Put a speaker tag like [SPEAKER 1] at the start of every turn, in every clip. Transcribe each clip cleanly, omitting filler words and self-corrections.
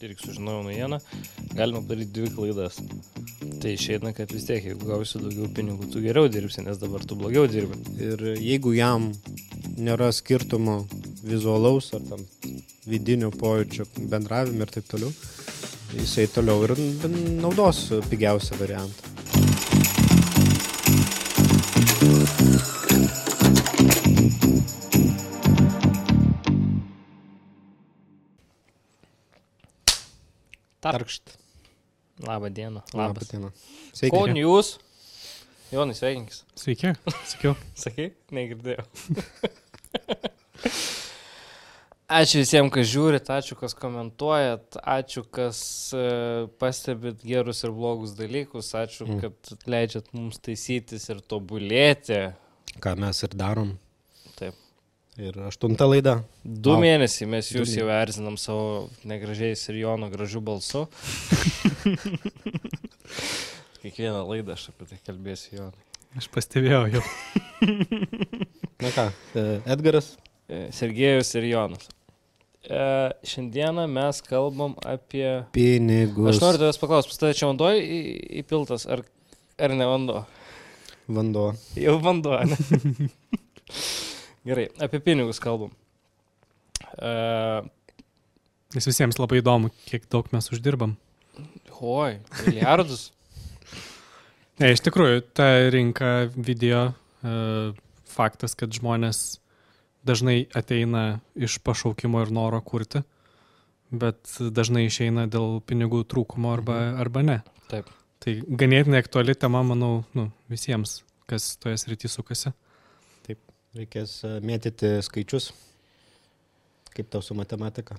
[SPEAKER 1] irgi sužinojau naujieną, galima padaryti 2 klaidas. Tai išeina, kad vis tiek, jeigu gausi daugiau pinigų, tu geriau dirbsi, nes dabar tu blogiau dirbi.
[SPEAKER 2] Ir jeigu jam nėra skirtumo vizualaus ar tam vidinio pojūčio bendravime ir taip toliau, jisai toliau ir naudos pigiausią variantą. Tarkšt.
[SPEAKER 1] Labą dieną.
[SPEAKER 2] Labą dieną. Sveiki.
[SPEAKER 1] Ko jūs? Jonai, sveikinkis.
[SPEAKER 3] Sveiki, sakiau.
[SPEAKER 1] Sakai? Negirdėjau. Ačiū visiems, kas žiūrit, ačiū, kas komentuojat, ačiū, kas pastebit gerus ir blogus dalykus, ačiū, kad leidžiat mums taisytis ir tobulėti.
[SPEAKER 2] Ką mes ir darom.
[SPEAKER 1] Taip.
[SPEAKER 2] Ir 8 laida.
[SPEAKER 1] 2 mėnesiai mes jūs jau erzinam savo negražiais ir Jono gražių balsu. Kiekvieną laidą aš apie tai kalbėsiu, Jonai.
[SPEAKER 3] Aš pastebėjau jau.
[SPEAKER 2] Na ką, Edgaras?
[SPEAKER 1] Sergejus ir Jonas. Šiandieną mes kalbam apie...
[SPEAKER 2] Pinigus.
[SPEAKER 1] Aš noriu tavęs paklausti, pas tave čia vanduo įpiltas, ar ne vanduo?
[SPEAKER 2] Vanduo.
[SPEAKER 1] Jau vanduo, ne? Gerai, apie pinigus kalbam.
[SPEAKER 3] Nes visiems labai įdomu, kiek daug mes uždirbam.
[SPEAKER 1] Oi, milijardus.
[SPEAKER 3] Ne, iš tikrųjų, ta rinka video, faktas, kad žmonės dažnai ateina iš pašaukimo ir noro kurti, bet dažnai išeina dėl pinigų trūkumo arba ne.
[SPEAKER 1] Taip.
[SPEAKER 3] Tai ganėtinai aktuali tema, manau, visiems, kas toje srity sukasi.
[SPEAKER 2] Taip, reikės mėtyti skaičius. Kaip tau su matematika?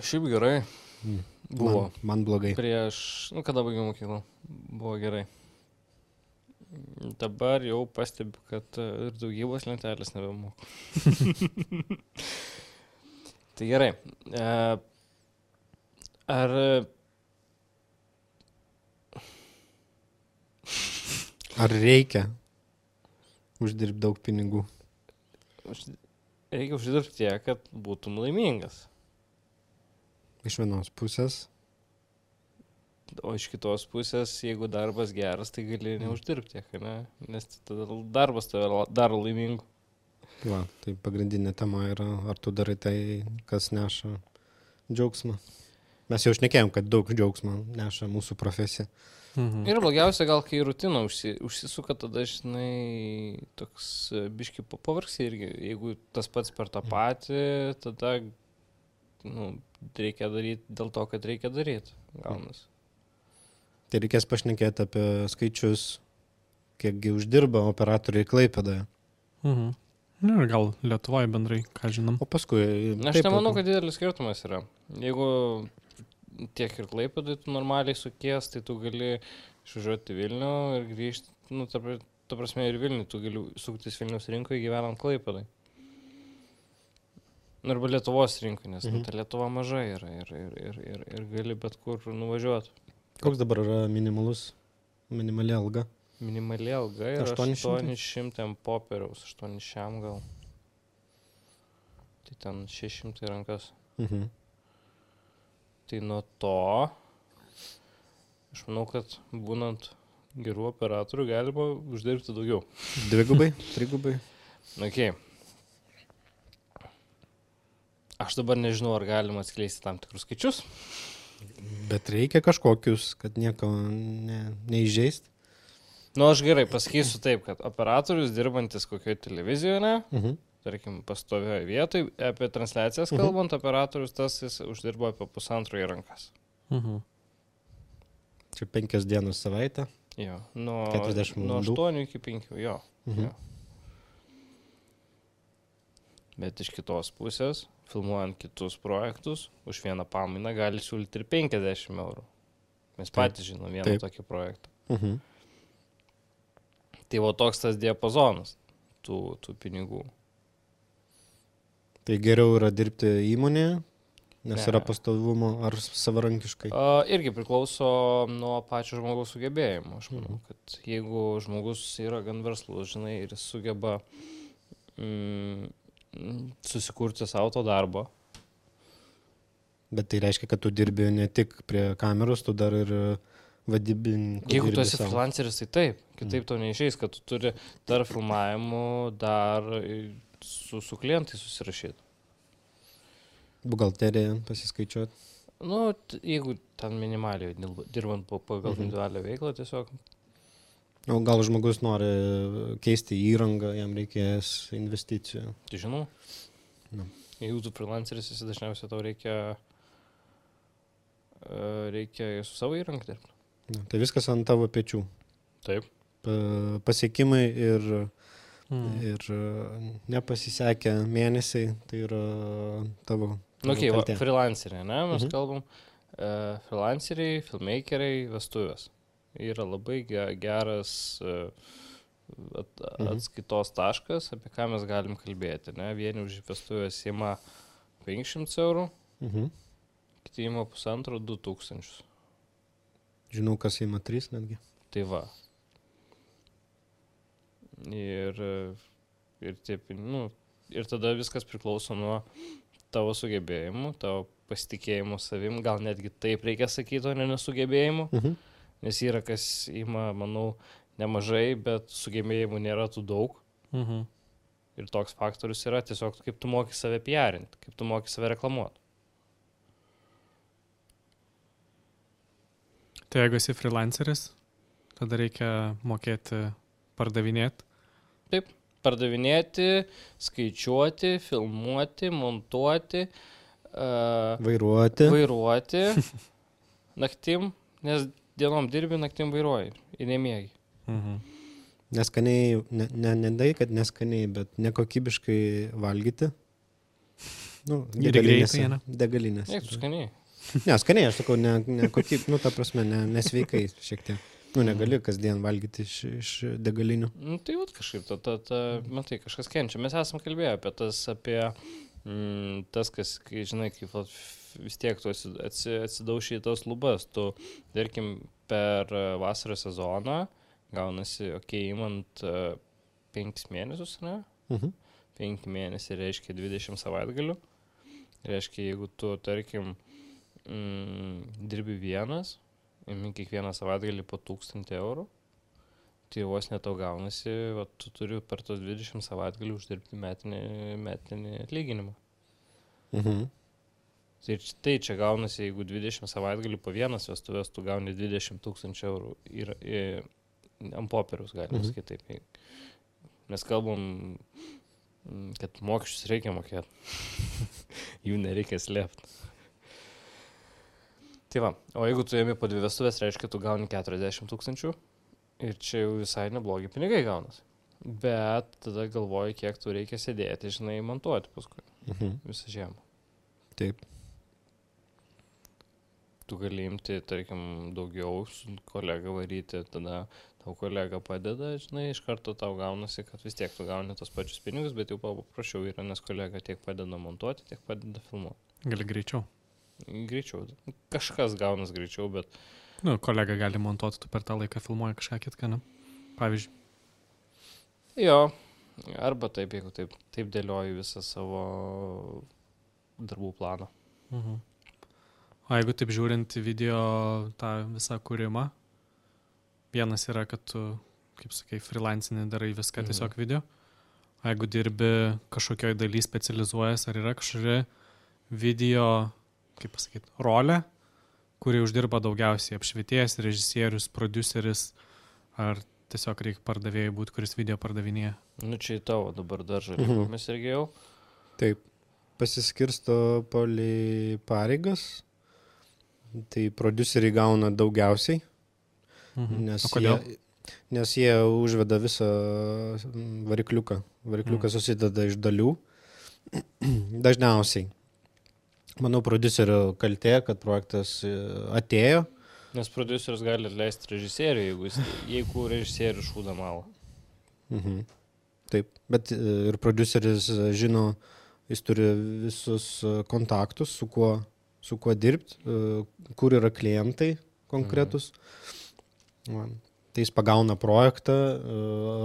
[SPEAKER 1] Šiaip gerai. Buvo.
[SPEAKER 2] Man blogai.
[SPEAKER 1] Prieš, kada baigiau mokyklą, buvo gerai. Dabar jau pastebiu, kad ir daugybos lentelės nebemoku. Tai gerai.
[SPEAKER 2] Ar reikia uždirbti daug pinigų?
[SPEAKER 1] Reikia uždirbti tiek, kad būtum laimingas.
[SPEAKER 2] Iš vienos pusės.
[SPEAKER 1] O iš kitos pusės, jeigu darbas geras, tai gali neuždirbti tiek, ne? Nes tada darbas tave daro laimingu.
[SPEAKER 2] Va, tai pagrindinė tema yra, ar tu darai tai, kas neša džiaugsmą. Mes jau šnekėjom, kad daug džiaugsmo neša mūsų profesija.
[SPEAKER 1] Ir blogiausia, gal kai rutina užsisuka, tada, žinai, toks biški pavargsi irgi. Jeigu tas pats per tą patį, tada reikia daryti dėl to, kad reikia daryti. Gaunas.
[SPEAKER 2] Tai reikės pašnekėti apie skaičius, kiekgi uždirba operatoriai Klaipėdoje.
[SPEAKER 3] Ir gal Lietuvoje bendrai, ką žinom.
[SPEAKER 2] O paskui...
[SPEAKER 1] Aš nemanau, kad didelis skirtumas yra. Jeigu tiek ir Klaipėdoje tu normaliai sukies, tai tu gali išvažiuoti Vilnių ir grįžti, ta prasme ir Vilnių, tu gali suktis Vilniaus rinkoje gyvenant Klaipėdoje. Arba Lietuvos rinkoje, nes ta Lietuva maža yra ir gali bet kur nuvažiuoti.
[SPEAKER 2] Koks dabar yra minimali alga?
[SPEAKER 1] Minimali alga yra 800 popieriaus, 800 gal. Tai ten 600 rankas. Tai nuo to, aš manau, kad būnant gerų operatorių galima uždirbti daugiau.
[SPEAKER 2] 2, 3.
[SPEAKER 1] Okay. Aš dabar nežinau, ar galima atskleisti tam tikrus skaičius.
[SPEAKER 2] Bet reikia kažkokius, kad nieko neįžeist.
[SPEAKER 1] Aš gerai pasakysiu taip, kad operatorius dirbantis kokioje televizijoje, tarkim, pastovioje vietoje, apie transliacijas kalbant, operatorius tas jis uždirbo apie 1,5 į rankas.
[SPEAKER 2] Čia 5 dienos savaitę?
[SPEAKER 1] Jo, nuo 8 iki 5, jo. Bet iš kitos pusės, filmuojant kitus projektus, už vieną pamainą gali siūlyti ir 50 eurų. Mes patys žinom vieną tokį projektą. Tai toks tas diapazonas tų pinigų. Tai
[SPEAKER 2] geriau yra dirbti įmonėje, nes yra pastovumo ar savarankiškai?
[SPEAKER 1] Irgi priklauso nuo pačio žmogaus sugebėjimo. Aš manau, kad jeigu žmogus yra gan verslus, žinai, ir sugeba susikurti savo to darbo.
[SPEAKER 2] Bet tai reiškia, kad tu dirbi ne tik prie kameros, tu dar ir vadybininkų.
[SPEAKER 1] Jeigu tu esi freelanceris, tai taip. Kitaip to neišeis, kad tu turi dar filmavimų, dar su klientai susirašyti.
[SPEAKER 2] Buhalteriją pasiskaičiuoti.
[SPEAKER 1] Nu, jeigu ten minimaliai dirbant pagal individualią veiklą tiesiog.
[SPEAKER 2] O gal žmogus nori keisti įrangą, jam reikės investicijų.
[SPEAKER 1] Tai žinau.
[SPEAKER 2] Nu.
[SPEAKER 1] Jeigu tu freelanceris, esi dažniausiai tau reikia su savo įrangą dirbti.
[SPEAKER 2] Tai viskas ant tavo pečių.
[SPEAKER 1] Taip.
[SPEAKER 2] Pasiekimai ir nepasisekę mėnesiai, tai yra tavo.
[SPEAKER 1] Okay, freelanceriai, ne, mes kalbam. Freelanceriai, filmmakeriai, vestuvės. Yra labai geras atskaitos taškas, apie ką mes galim kalbėti. Ne? Vieni už vestuvės ima 500 eurų, kiti ima 1,5–2,000.
[SPEAKER 2] Žinau, kas ima 3 netgi.
[SPEAKER 1] Tai va. Ir tada viskas priklauso nuo tavo sugebėjimų, tavo pasitikėjimų savim, gal netgi taip reikia sakyti, o ne nesugebėjimų. Nes yra, kas ima, manau, nemažai, bet sugebėjimų nėra tų daug. Ir toks faktorius yra tiesiog, kaip tu moki save PR-inti, kaip tu moki save reklamuoti.
[SPEAKER 3] Tai jeigu esi freelanceris, tada reikia mokėti pardavinėti.
[SPEAKER 1] Taip, pardavinėti, skaičiuoti, filmuoti, montuoti, vairuoti naktim, nes dienom dirbi, naktim vairuoji ir nemiegi.
[SPEAKER 2] Neskaniai, ne, kad neskaniai, bet nekokybiškai valgyti. Degalinės.
[SPEAKER 1] Eik, tu skaniai.
[SPEAKER 2] Ne, skaniai, aš sakau, nekokybiškai, ta prasme, nesveikai šiek tiek. Negali kasdien valgyti iš degalinių.
[SPEAKER 1] Tai vat kažkaip, matai, kažkas kenčia. Mes esam kalbėję apie tas, kas, žinai, kaip vis tiek tu atsidauši į tos lubas. Tu, tarkim, per vasaros sezoną gaunasi, imant 5 mėnesius, ne? 5 mėnesiai reiškia 20 savaitgalių. Reiškia, jeigu tu, tarkim, dirbi vienas, imi kiekvieną savaitgalį po 1,000 eurų, tai vos netau gaunasi, tu turi per tos 20 savaitgalį uždirbti metinį atlyginimą. Tai čia gaunasi, jeigu 20 savaitgalį po vienas vestuvės, tu gauni 20,000 eurų ant popieriaus, galima sakyti taip. Mes kalbam, kad mokesčius reikia mokėti. Jų nereikia slėpti. Tai va, o jeigu tu ėmi po 2 vestuvės, reiškia, tu gauni 40,000 ir čia jau visai neblogi pinigai gaunas. Bet tada galvoji, kiek tu reikia sėdėti, žinai, montuoti paskui visą žiemą.
[SPEAKER 2] Taip.
[SPEAKER 1] Tu gali imti, tarkim, daugiau su kolega varyti, tada tau kolega padeda, žinai, iš karto tau gaunasi, kad vis tiek tu gauni tos pačius pinigus, bet jau paprašiau yra, nes kolega tiek padeda montuoti, tiek padeda filmuoti.
[SPEAKER 3] Gali greičiau.
[SPEAKER 1] Greičiau. Kažkas gaunas greičiau, bet...
[SPEAKER 3] Kolega gali montuoti, tu per tą laiką filmuoji kažką kitką, ne? Pavyzdžiui.
[SPEAKER 1] Jo, arba taip, jeigu taip dėlioji visą savo darbų planą.
[SPEAKER 3] O jeigu taip žiūrint video tą visą kūrimą, vienas yra, kad tu, kaip sakai, freelancinį darai viską tiesiog video. O jeigu dirbi kažkokioj daly specializuojas, ar yra kažkokia video, kaip pasakyti, rolė, kuri uždirba daugiausiai apšvietėjas, režisierius, prodiuseris, ar tiesiog reikia pardavėjai būti, kuris video pardavinėja?
[SPEAKER 1] Čia į tavo dabar dar žalį, mes irgi jau.
[SPEAKER 2] Taip, pasiskirsto pareigas, tai prodiuseriai gauna daugiausiai, nes jie užveda visą varikliuką. Varikliukas susideda iš dalių, dažniausiai. Manau, prodiuserio kaltė, kad projektas atėjo.
[SPEAKER 1] Nes prodiuseris gali atleisti režisierių, jeigu režisierius šūda malą.
[SPEAKER 2] Taip, bet ir prodiuseris žino, jis turi visus kontaktus, su kuo dirbti, kur yra klientai konkretus. Tai jis pagauna projektą,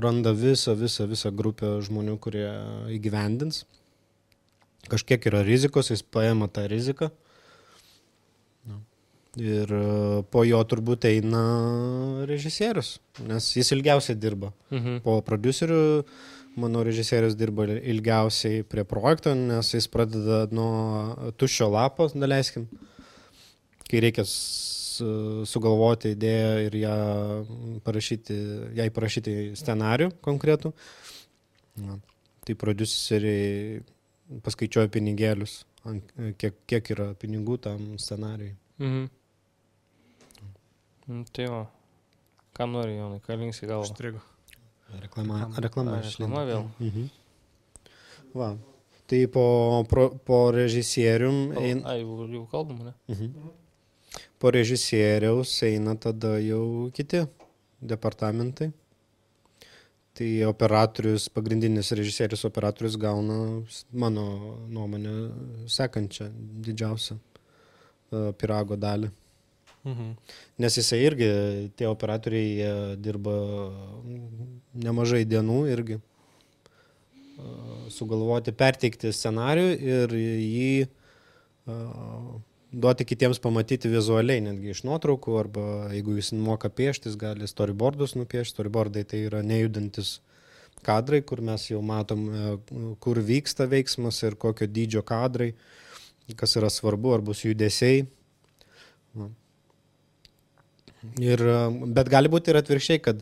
[SPEAKER 2] randa visą grupę žmonių, kurie įgyvendins. Kažkiek yra rizikos, jis paima tą riziką Ir po jo turbūt eina režisierius, nes jis ilgiausiai dirba. Po prodiuserių, mano režisierius dirba ilgiausiai prie projekto, nes jis pradeda nuo tuščio lapo, daleiskim, kai reikia sugalvoti idėją ir jai parašyti scenarių konkretų. Tai prodiuseriai paskaičiuoja pinigėlius, kiek yra pinigų tam scenarijui.
[SPEAKER 1] Tai va. Ką nori, Jonai, ką linksi galvą?
[SPEAKER 3] Užstrigo.
[SPEAKER 2] Reklama
[SPEAKER 1] vėl.
[SPEAKER 2] Va. Tai po režisierium...
[SPEAKER 1] Jau kalbam, ne?
[SPEAKER 2] Po režisieriaus eina tada jau kiti departamentai. Tai pagrindinis režisierius operatorius gauna, mano nuomonė, sekančią didžiausią pyrago dalį. Nes jisai irgi, tie operatoriai dirba nemažai dienų irgi sugalvoti, perteikti scenarijų ir jį duoti kitiems pamatyti vizualiai, netgi iš nuotraukų, arba jeigu jis moka pieštis, gali storyboardus nupiešti. Storyboardai tai yra nejudantis kadrai, kur mes jau matom, kur vyksta veiksmas ir kokio dydžio kadrai, kas yra svarbu, ar bus judesiai. Bet gali būti ir atvirkščiai, kad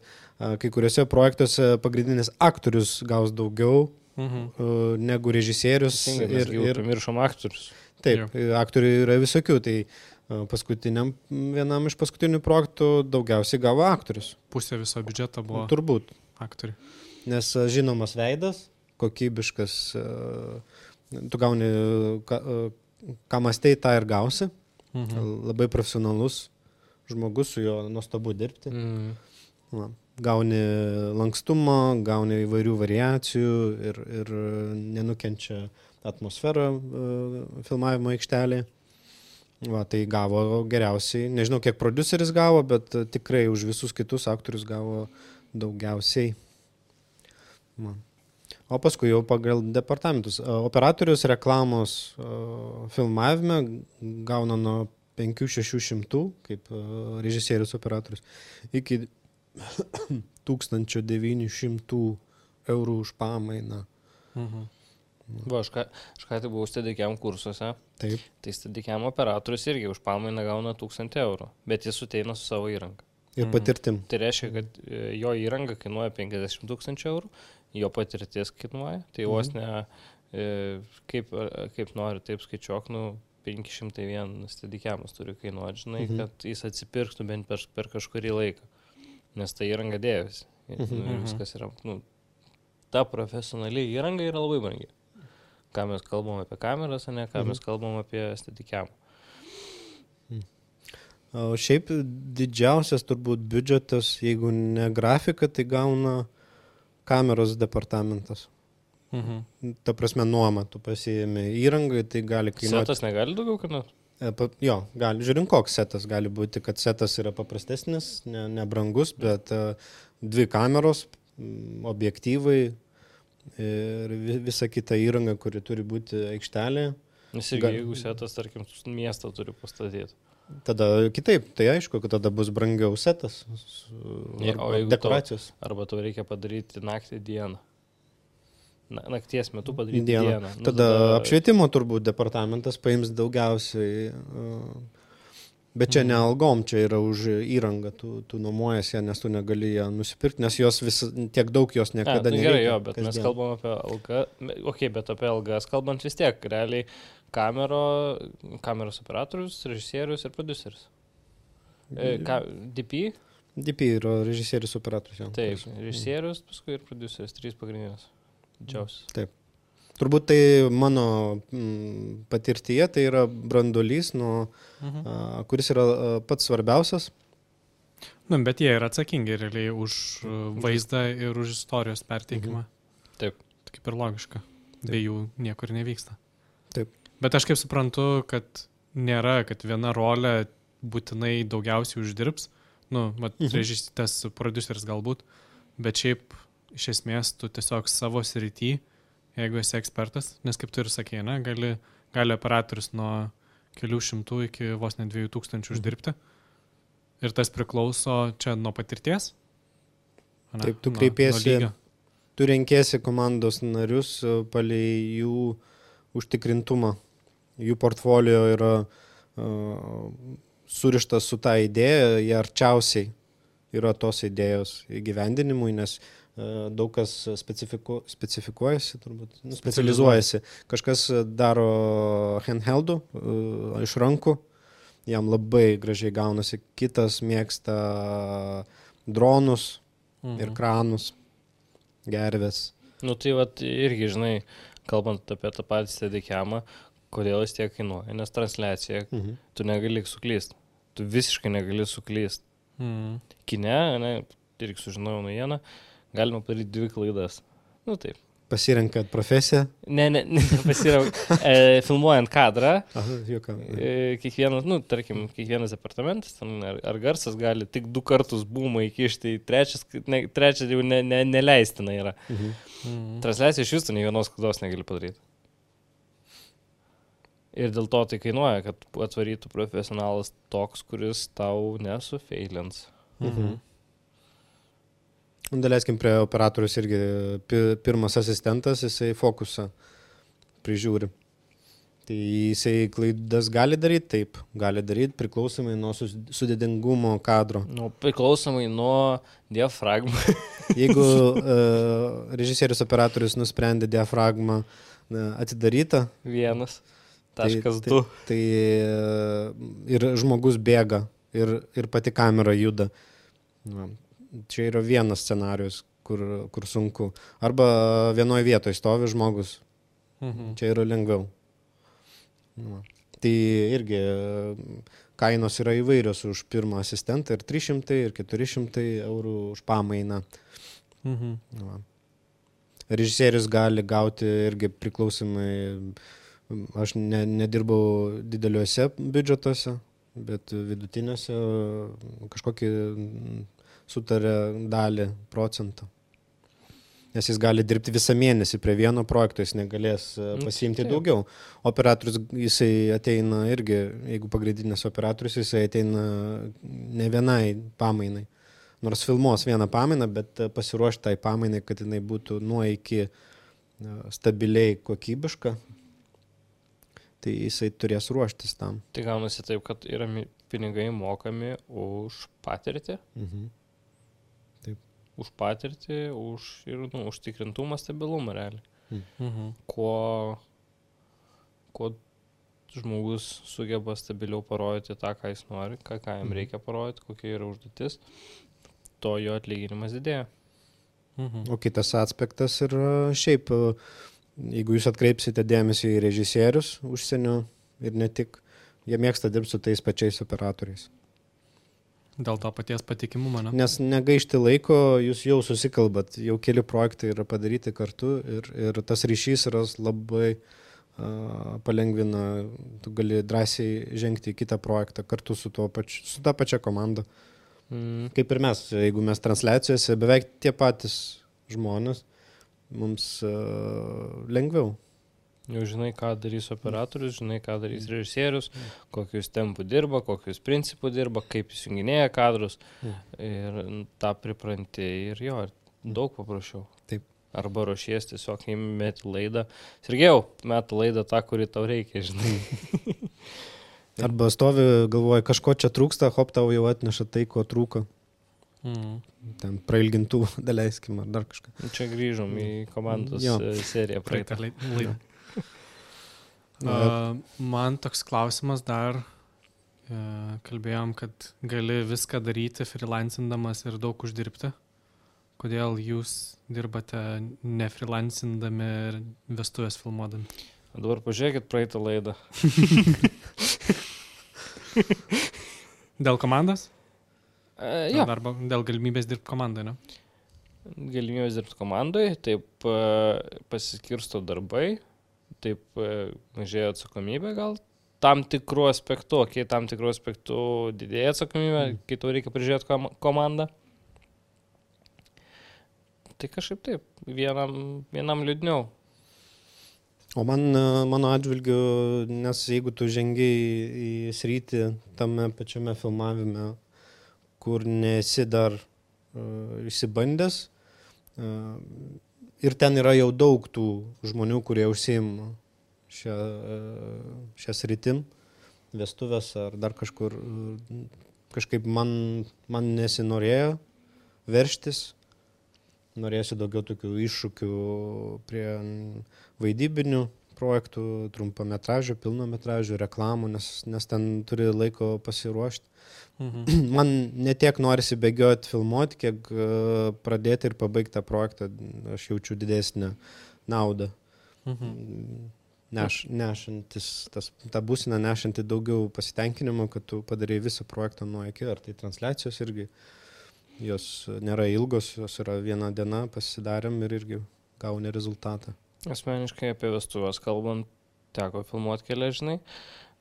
[SPEAKER 2] kai kuriuose projektuose pagrindinis aktorius gaus daugiau negu režisierius.
[SPEAKER 1] Ir pamiršom aktorius.
[SPEAKER 2] Taip, aktorių yra visokių, tai vienam iš paskutinių projektų daugiausiai gavo aktorius.
[SPEAKER 3] Pusė viso biudžeto buvo
[SPEAKER 2] turbūt
[SPEAKER 3] aktoriai.
[SPEAKER 2] Nes žinomas veidas, kokybiškas, tu gauni, ką mąstei, tą ir gausi. Labai profesionalus žmogus, su juo nuostabu dirbti. Gauni lankstumą, gauni įvairių variacijų ir nenukenčia atmosferą filmavimo aikštelė. Tai gavo geriausiai. Nežinau, kiek prodiuseris gavo, bet tikrai už visus kitus aktorius gavo daugiausiai. O paskui jau pagal departamentus. Operatorius reklamos filmavime gauna nuo 500-600 kaip režisierius operatorius iki 1900 eurų už pamainą.
[SPEAKER 1] Va, aš ką tai buvau Steadicam kursuose.
[SPEAKER 2] Taip.
[SPEAKER 1] Tai Steadicam operatorius irgi už pamainą gauna 1000 eurų, bet jis ateina su savo įranga.
[SPEAKER 2] Ir patirtim.
[SPEAKER 1] Tai reiškia, kad jo įranga kainuoja 50 000 eurų, jo patirtis kainuoja, tai vos ne kaip nori, taip skaičiuok, 501 Steadicamas turi kainuoti, žinai, kad jis atsipirktų bent per kažkurį laiką, nes ta įranga dėjosi. Viskas yra, ta profesionali įranga yra labai brangi. Ką mes kalbam apie kameras, o ne ką mes kalbam apie Steadicamą.
[SPEAKER 2] O šiaip didžiausias turbūt biudžetas, jeigu ne grafika, tai gauna kameros departamentas. Ta prasme, nuoma, tu pasiėmė įrangą, tai gali kainuoti.
[SPEAKER 1] Setas negali daugiau kainuoti?
[SPEAKER 2] Jo, gali, žiūrint, koks setas. Gali būti, kad setas yra paprastesnis, nebrangus, bet 2 kameros, objektyvai ir visa kita įranga, kuri turi būti aikštelė.
[SPEAKER 1] Nes jeigu setas, tarkim, miestą turi pastatyti.
[SPEAKER 2] Tada kitaip, tai aišku, kad tada bus brangiau setas, dekoracijos.
[SPEAKER 1] Arba tau reikia padaryti naktį dieną. Nakties metu padaryti dieną.
[SPEAKER 2] Tada apšvietimo turbūt departamentas paims daugiausiai. Bet čia ne algom, čia yra už įrangą, tu nuomojas ją, nes tu negali ją nusipirkti, nes jos tiek daug jos niekada nereikia.
[SPEAKER 1] Gerai, jo, bet mes kalbam apie algą, bet apie algas kalbant vis tiek, realiai kameros operatorius, režisierius ir prodiuseris. DP?
[SPEAKER 2] DP yra režisierius operatorius, jau.
[SPEAKER 1] Taip, režisierius, paskui ir prodiuseris, 3 pagrindinės. Didžiausias.
[SPEAKER 2] Taip. Turbūt tai mano patirtyje, tai yra branduolys, kuris yra pats svarbiausias.
[SPEAKER 3] Bet jie yra atsakingi realiai už vaizdą ir už istorijos perteikimą.
[SPEAKER 1] Taip.
[SPEAKER 3] Kaip ir logiška. Be jų niekur nevyksta.
[SPEAKER 2] Taip.
[SPEAKER 3] Bet aš kaip suprantu, kad nėra, kad viena rolė būtinai daugiausiai uždirbs. Tas prodiuseris galbūt, bet šiaip iš esmės tu tiesiog savo srity, jeigu esi ekspertas, nes kaip tu ir sakei, gali operatorius nuo kelių šimtų iki vos ne 2000 uždirbti. Ir tas priklauso čia nuo patirties? Ane?
[SPEAKER 2] Taip, tu
[SPEAKER 3] Nuo
[SPEAKER 2] kreipiesi,
[SPEAKER 3] lygio.
[SPEAKER 2] tu renkėsi komandos narius palei jų užtikrintumą. Jų portfolio yra surištas su tą idėją, jie arčiausiai yra tos idėjos įgyvendinimui, nes daug kas specifikuojasi, turbūt, specializuojasi. Kažkas daro handheldų iš rankų, jam labai gražiai gaunasi. Kitas mėgsta dronus ir kranus, gervės.
[SPEAKER 1] Nu tai vat irgi, žinai, kalbant apie tą patį steadicamą, kodėl jis tiek kainuoja, nes transliacija, tu negali suklysti. Tu visiškai negali suklysti. Kine, ne, irgi sužinojau naujieną, galima padaryti 2 klaidas. Nu taip.
[SPEAKER 2] Pasirenkat profesiją?
[SPEAKER 1] Ne, filmuojant kadrą, kiekvienas, nu, tarkim, kiekvienas departamentas, ar garsas gali tik 2 kartus būmą įkišti, trečias jau neleistina yra. Transliacija iš viso nei vienos klaidos negali padaryti. Ir dėl to tai kainuoja, kad atvarytų profesionalas toks, kuris tau nesufeilins.
[SPEAKER 2] Daleiskim prie operatorius irgi pirmas asistentas, jisai fokusą prižiūri. Tai jisai klaidas gali daryti? Taip, gali daryti priklausomai nuo sudėtingumo kadro.
[SPEAKER 1] Nu, priklausomai nuo diafragmą.
[SPEAKER 2] Jeigu režisierius operatorius nusprendė diafragmą atidarytą,
[SPEAKER 1] 1.2.
[SPEAKER 2] Tai ir žmogus bėga, ir pati kamera juda. Čia yra vienas scenarius, kur sunku. Arba vienoje vietoje stovi žmogus. Čia yra lengviau. Tai irgi kainos yra įvairios už pirmą asistentą, ir 300, ir 400 eurų už pamainą. Režisierius gali gauti irgi priklausomai. Aš nedirbau dideliuose biudžetuose, bet vidutiniuose kažkokį sutarė dalį procentą. Nes jis gali dirbti visą mėnesį prie vieno projekto, jis negalės pasiimti daugiau. Operatorius, jisai ateina irgi, jeigu pagrindinis operatorius, jisai ateina ne vienai pamainai. Nors filmuos vieną pamainą, bet pasiruošti tai pamainai, kad jinai būtų nuo iki stabiliai kokybiška. Tai jisai turės ruoštis tam.
[SPEAKER 1] Tai gaunasi taip, kad yra pinigai mokami už patirtį.
[SPEAKER 2] Taip.
[SPEAKER 1] Už patirtį, ir užtikrintumą, stabilumą realiai. Kuo žmogus sugeba stabiliau parodyti tą, ką jis nori, ką jam reikia parodyti, kokia yra užduotis, to jo atlyginimas didėja.
[SPEAKER 2] O kitas aspektas yra šiaip, jeigu jūs atkreipsite dėmesį į režisierius užsienio ir ne tik, jie mėgsta dirbti su tais pačiais operatoriais.
[SPEAKER 3] Dėl to paties patikimumo, ne?
[SPEAKER 2] Nes negaišti laiko, jūs jau susikalbat, jau keli projektai yra padaryti kartu ir tas ryšys yra labai palengvina, tu gali drąsiai žengti į kitą projektą kartu su ta pačia komanda. Kaip ir mes, jeigu mes transliacijose beveik tie patys žmonės, mums lengviau.
[SPEAKER 1] Jau žinai, ką darys operatorius, žinai, ką darys režisierius, kokius tempų dirba, kokius principų dirba, kaip įsijunginėja kadrus. Ir tą pripranti ir jo, daug paprašiau.
[SPEAKER 2] Taip.
[SPEAKER 1] Arba ruošies tiesiog įmeti laidą. Sergėjau, metu laidą tą, kurį tau reikia, žinai.
[SPEAKER 2] Arba stovi, galvoji, kažko čia trūksta, hop, tau jau atneša tai, ko trūko. Ten prailgintų, daleiskim, ar dar kažką.
[SPEAKER 1] Čia grįžom į komandos seriją praeitą
[SPEAKER 3] laidą. Man toks klausimas dar, kalbėjom, kad gali viską daryti freelancindamas ir daug uždirbti. Kodėl jūs dirbate ne freelancindami ir vestuvės filmuodami?
[SPEAKER 1] Dabar pažiūrėkit praeitą laidą.
[SPEAKER 3] Dėl komandos?
[SPEAKER 1] Jo.
[SPEAKER 3] Arba dėl galimybės dirbti komandai, ne?
[SPEAKER 1] Galimybės dirbti komandai, taip pasiskirsto darbai, taip mažėja atsakomybė gal. Tam tikrų aspektų didėja atsakomybė, kai tau reikia prižiūrėti komandą. Tai kažkaip taip, vienam liūdniau.
[SPEAKER 2] O mano atžvilgiu, nes jeigu tu žengiai į sritį tame pačiame filmavime, kur nesi dar išsibandęs, ir ten yra jau daug tų žmonių, kurie užsiima šią sritim, vestuvės ar dar kažkur, kažkaip man nesinorėjo verštis. Norėsiu daugiau tokių iššūkių prie vaidybinių projektų, trumpametražių, pilnametražių, reklamų, nes ten turi laiko pasiruošti. Man netiek norisi bėgioti, filmuoti, kiek pradėti ir pabaigti tą projektą, aš jaučiu didesnę naudą. Nešantis, tą būseną nešanti daugiau pasitenkinimo, kad tu padarai visą projektą nuo iki, ar tai transliacijos irgi. Jos nėra ilgos, jos yra viena diena, pasidarėm ir irgi gauni rezultatą.
[SPEAKER 1] Asmeniškai apie vestuvės kalbant, teko filmuoti kelias, žinai,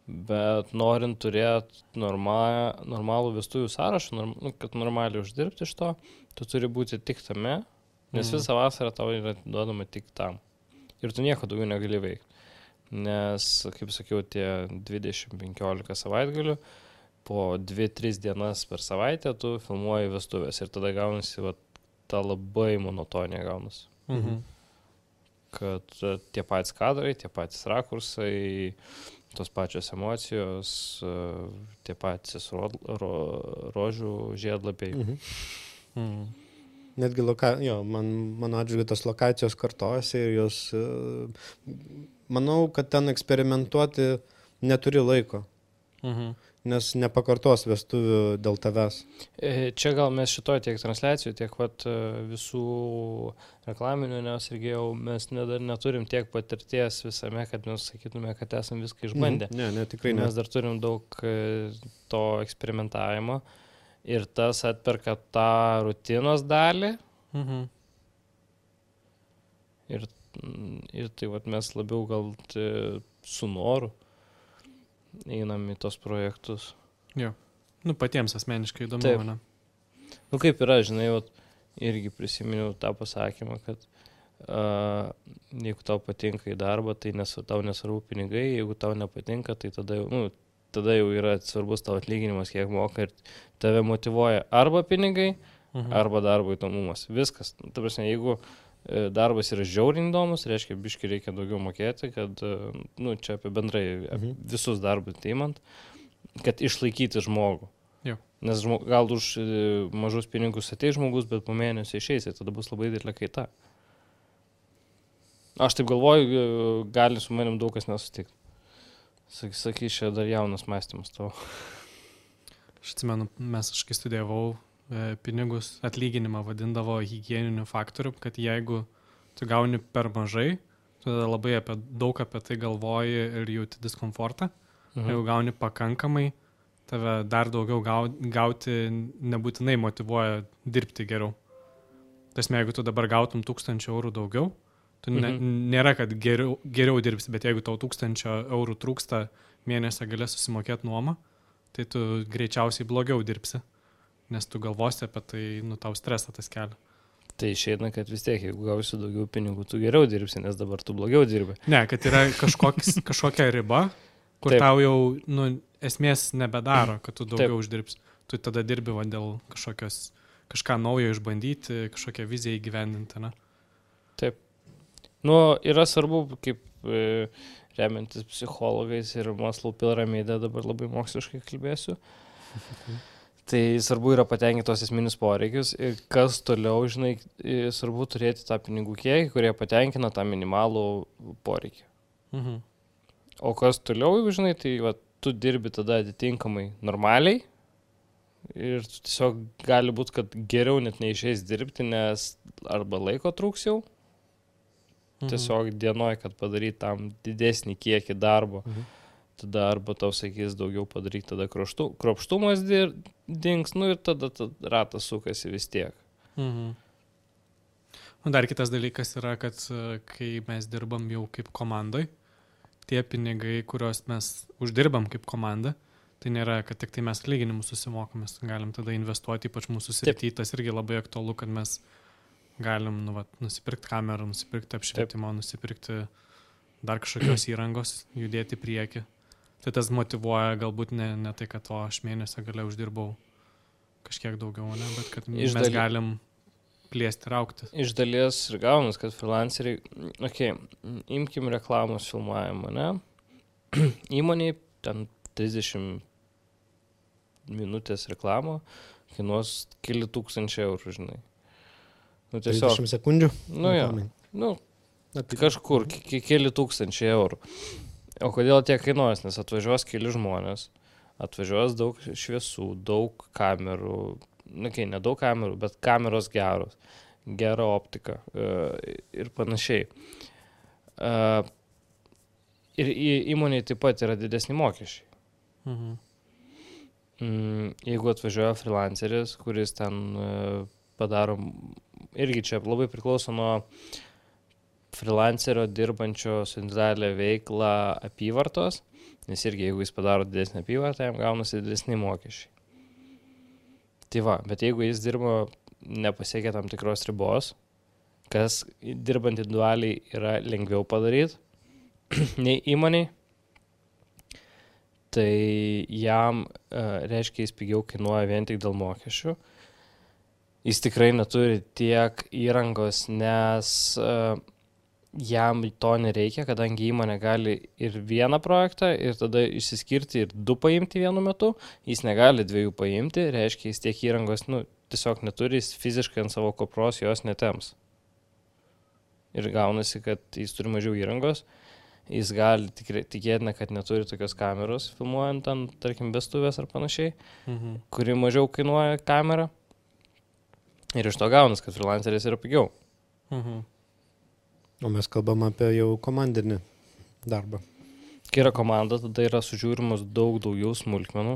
[SPEAKER 1] bet norint turėti normalų vestuvių sąrašą, kad normaliai uždirbti iš to, tu turi būti tik tame, nes visą vasarą tau yra duodama tik tam. Ir tu nieko daugiau negali veikti. Nes, kaip sakiau, tie 20-15 savaitgalių, po 2-3 dienas per savaitę tu filmuoji vestuvės ir tada gaunasi ta labai monotonija gaunasi. Kad tie patys kadrai, tie patys rakursai, tos pačios emocijos, tie patys rožių žiedlapiai.
[SPEAKER 2] Netgi mano atžvilgiu tos lokacijos kartojasi ir jos, manau, kad ten eksperimentuoti neturi laiko. Nes nepakartos vestuvių dėl tavęs.
[SPEAKER 1] Čia gal mes šitoj tiek transliacijų, tiek visų reklaminių, nes irgi jau mes dar neturim tiek patirties visame, kad mes sakytume, kad esam viską išbandę.
[SPEAKER 2] Ne, tikrai ne.
[SPEAKER 1] Mes dar turim daug to eksperimentavimo ir tas atperka tą rutinos dalį. Ir tai mes labiau gal su noru einam į tos projektus.
[SPEAKER 3] Jo. Patiems asmeniškai įdomu.
[SPEAKER 1] Taip. Kaip yra, žinai, irgi prisiminiau tą pasakymą, kad jeigu tau patinka į darbą, tai tau nesvarbu pinigai, jeigu tau nepatinka, tai tada jau yra svarbus tavo atlyginimas, kiek moka ir tave motyvuoja arba pinigai, arba darbo įdomumas. Viskas. Ta prasme, jeigu darbas yra žiauriai įdomus, reiškia, biškai reikia daugiau mokėti, kad, čia apie bendrai visus darbus teimant, kad išlaikyti žmogų.
[SPEAKER 3] Jo.
[SPEAKER 1] Nes gal už mažus pinigus ateis žmogus, bet po mėnesio išeis, tada bus labai didelė kaita. Aš taip galvoju, gali su manim daug kas nesutikti. Sakys, čia dar jaunas mąstymas tavo.
[SPEAKER 3] Aš atsimenu, kai studijavau, pinigus atlyginimą vadindavo higieniniu faktoriu, kad jeigu tu gauni per mažai, tu labai daug apie tai galvoji ir jauti diskomfortą. Jeigu gauni pakankamai, tave dar daugiau gauti nebūtinai motyvuoja dirbti geriau. Tasme, jeigu tu dabar gautum 1000 eurų daugiau, tu nėra, kad geriau dirbsi, bet jeigu tau 1000 eurų trūksta mėnesio galės susimokėti nuomą, tai tu greičiausiai blogiau dirbsi. Nes tu galvosi apie tai, tau stresą tas kelia.
[SPEAKER 1] Tai išeina, kad vis tiek, jeigu gausi daugiau pinigų, tu geriau dirbsi, nes dabar tu blogiau dirbi.
[SPEAKER 3] Ne, kad yra kažkokia riba, kur
[SPEAKER 1] Taip.
[SPEAKER 3] tau jau esmės nebedaro, kad tu daugiau uždirbsi. Tu tada dirbi dėl kažką naujo išbandyti, kažkokią viziją įgyvendinti, ne?
[SPEAKER 1] Taip. Yra svarbu, kaip remiantis psichologais ir Maslow piramidė, dabar labai moksliškai kalbėsiu. Tai svarbu yra patenkinti tos esminius poreikius ir kas toliau, žinai, svarbu turėti tą pinigų kiekį, kurie patenkina tą minimalų poreikį. O kas toliau, žinai, tai tu dirbi tada atitinkamai normaliai ir tiesiog gali būti, kad geriau net neišeis dirbti, nes arba laiko trūks jau, tiesiog dienoj, kad padaryti tam didesnį kiekį darbo. Tada arba tau sakys daugiau padaryk, tada kruopštumas dings, ir tada ratas sukasi vis tiek.
[SPEAKER 3] Dar kitas dalykas yra, kad kai mes dirbam jau kaip komandai, tie pinigai, kuriuos mes uždirbam kaip komanda, tai nėra, kad tik tai mes atlyginimus susimokame, galim tada investuoti, ypač mūsų srity, tas irgi labai aktualu, kad mes galim nusipirkti kamerą, nusipirkti apšvietimą, nusipirkti dar kažkokios įrangos, judėti į priekį. Tai tas motyvuoja galbūt ne tai, kad aš mėnesio gale uždirbau kažkiek daugiau, ne, bet kad mes galim plėsti ir augti.
[SPEAKER 1] Iš dalies ir gaunas, kad freelanceriai, imkim reklamos filmavimą, ne? Įmoniai ten 30 minutės reklamo kainuos keli tūkstančiai eurų, žinai. Nu, tiesiog,
[SPEAKER 2] 30 sekundžių?
[SPEAKER 1] Kažkur, keli tūkstančiai eurų. O kodėl tiek kainuos? Nes atvažiuos keli žmonės, atvažiuos daug šviesų, daug kamerų, ne daug kamerų, bet kameros geros, gera optika ir panašiai. Ir įmonėje taip pat yra didesni mokesčiai. Jeigu atvažiuoja freelanceris, kuris ten padaro, irgi čia labai priklauso nuo freelancerio dirbančio su individualią veiklą apyvartos, nes irgi jeigu jis padaro didesnį apyvartą, jam gaunasi didesni mokesčiai. Tai va, bet jeigu jis dirba nepasiekia tam tikros ribos, kas dirbant individualiai yra lengviau padaryti nei įmoniai, tai jam reiškia jis pigiau kainuoja vien tik dėl mokesčių. Jis tikrai neturi tiek įrangos, nes jam to nereikia, kadangi įmonė gali ir vieną projektą ir tada išsiskirti ir 2 paimti vienu metu, jis negali 2 paimti, reiškia jis tiek įrangos, tiesiog neturi, jis fiziškai ant savo kopros jos netems. Ir gaunasi, kad jis turi mažiau įrangos, jis gali tikėtina, kad neturi tokios kameros filmuojant ant, tarkim, vestuvės ar panašiai, kuri mažiau kainuoja kamerą. Ir iš to gaunas, kad freelanceris yra pigiau.
[SPEAKER 2] O mes kalbam apie jau komandinį darbą.
[SPEAKER 1] Kai yra komanda, tada yra sužiūrimas daug daugiau smulkmenų,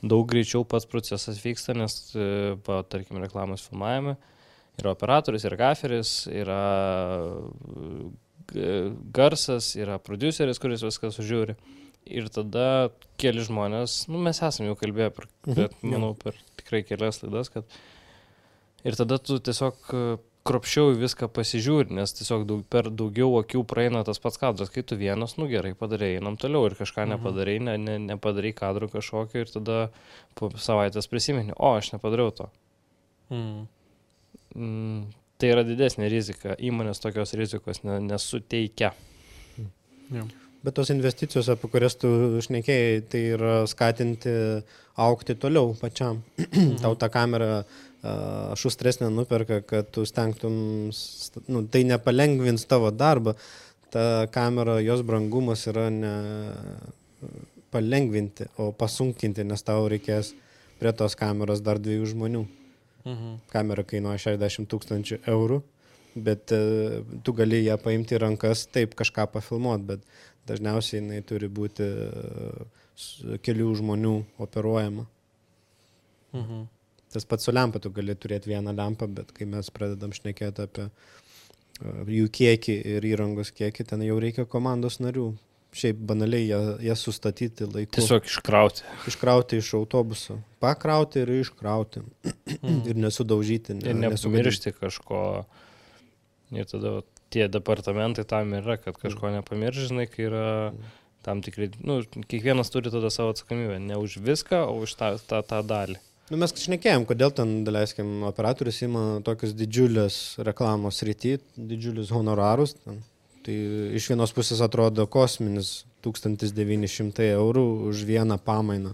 [SPEAKER 1] daug greičiau pats procesas vyksta, nes, tarkim, reklamos filmavime yra operatorius, yra gaferis, yra garsas, yra produceris, kuris viską sužiūri. Ir tada keli žmonės, mes esame jau kalbėję per tikrai kelias laidas, kad ir tada tu tiesiog kruopščiau viską pasižiūri, nes tiesiog per daugiau akių praeina tas pats kadras, kai tu vienas, gerai padarei, einam toliau ir kažką nepadarei, nepadarei kadrų kažkokio ir tada po savaitės prisimeni, aš nepadariau to. Tai yra didesnė rizika, įmonės tokios rizikos nesuteikia.
[SPEAKER 2] Bet tos investicijos, apie kurias tu šnekėjai, tai yra skatinti augti toliau pačiam. Tau tą kamerą šustresnė nuperka, kad tu stengtum, tai nepalengvins tavo darbą. Ta kamera, jos brangumas yra ne palengvinti, o pasunkinti, nes tau reikės prie tos kameros dar 2 žmonių. Kamera kainuoja 60 000 eurų, bet tu gali ją paimti į rankas, taip kažką pafilmuoti, bet dažniausiai jinai turi būti kelių žmonių operuojama. Tas pats su lempa, tu gali turėti vieną lempą, bet kai mes pradedam šnekėti apie jų kiekį ir įrangos kiekį, ten jau reikia komandos narių. Šiaip banaliai jas sustatyti laiku.
[SPEAKER 1] Tiesiog iškrauti.
[SPEAKER 2] Iškrauti iš autobuso. Pakrauti ir iškrauti. Ir nesudaužyti.
[SPEAKER 1] Ir nepamiršti kažko. Ir tada tie departamentai tam yra, kad kažko nepamiršti, žinai, kai yra tam tikrai, kiekvienas turi tada savo atsakomybę. Ne už viską, o už tą dalį.
[SPEAKER 2] Mes šnekėjom, kodėl ten, daleiskim, operatorius ima tokius didžiulės reklamos rytį, didžiulius honorarus. Tai iš vienos pusės atrodo kosminis 1900 eurų už vieną pamainą.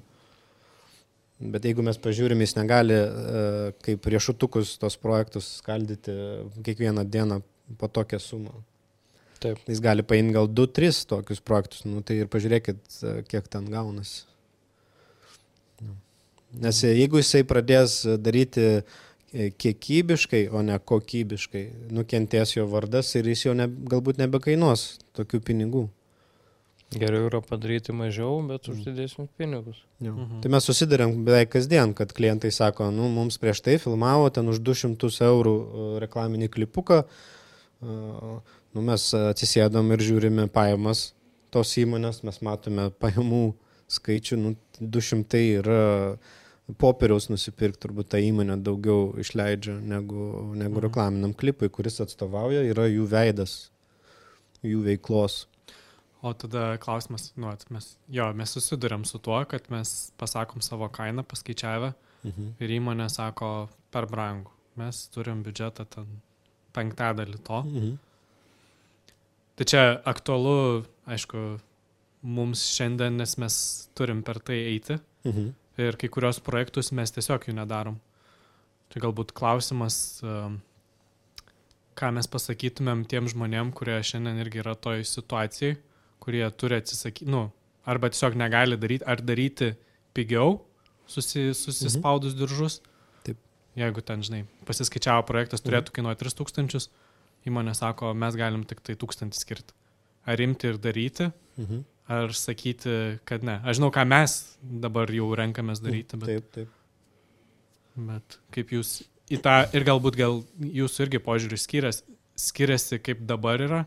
[SPEAKER 2] Bet jeigu mes pažiūrim, jis negali kaip riešutukus tos projektus skaldyti kiekvieną dieną po tokią sumą.
[SPEAKER 1] Taip.
[SPEAKER 2] Jis gali paimti gal 2-3 tokius projektus, tai ir pažiūrėkit, kiek ten gaunasi. Nes jeigu jisai pradės daryti kiekybiškai, o ne kokybiškai, nukentės jo vardas ir jis jau galbūt nebekainuos tokių pinigų.
[SPEAKER 1] Geriau yra padaryti mažiau, bet už didesnius pinigus.
[SPEAKER 2] Tai mes susidarėm beveik kasdien, kad klientai sako, mums prieš tai filmavo ten už 200 eurų reklaminį klipuką, mes atsisėdom ir žiūrime pajamas tos įmonės, mes matome pajamų skaičių, 200 yra popieriaus nusipirkti, turbūt ta įmonė daugiau išleidžia negu reklaminiam klipui, kuris atstovauja, yra jų veidas, jų veiklos.
[SPEAKER 3] O tada klausimas, mes susidurėm su tuo, kad mes pasakom savo kainą paskaičiavę ir įmonė sako per brangų. Mes turim biudžetą ten 1/5 to. Tai čia aktualu, aišku, mums šiandien, nes mes turim per tai eiti ir kai kurios projektus mes tiesiog jų nedarom. Tai galbūt klausimas, ką mes pasakytumėm tiem žmonėm, kurie šiandien irgi yra toj situacijai, kurie turi atsisakyti, arba tiesiog negali daryti, ar daryti pigiau, susispaudus diržus.
[SPEAKER 2] Taip.
[SPEAKER 3] Jeigu ten, pasiskaičiavo projektas turėtų kainuoti 3,000, įmonė sako, mes galim tik tai 1,000 skirti. Ar imti ir daryti, ar sakyti, kad ne. Aš žinau, ką mes dabar jau renkamės daryti, bet,
[SPEAKER 2] Taip.
[SPEAKER 3] Bet kaip jūs į tą, ir galbūt jūsų irgi požiūris skiriasi, kaip dabar yra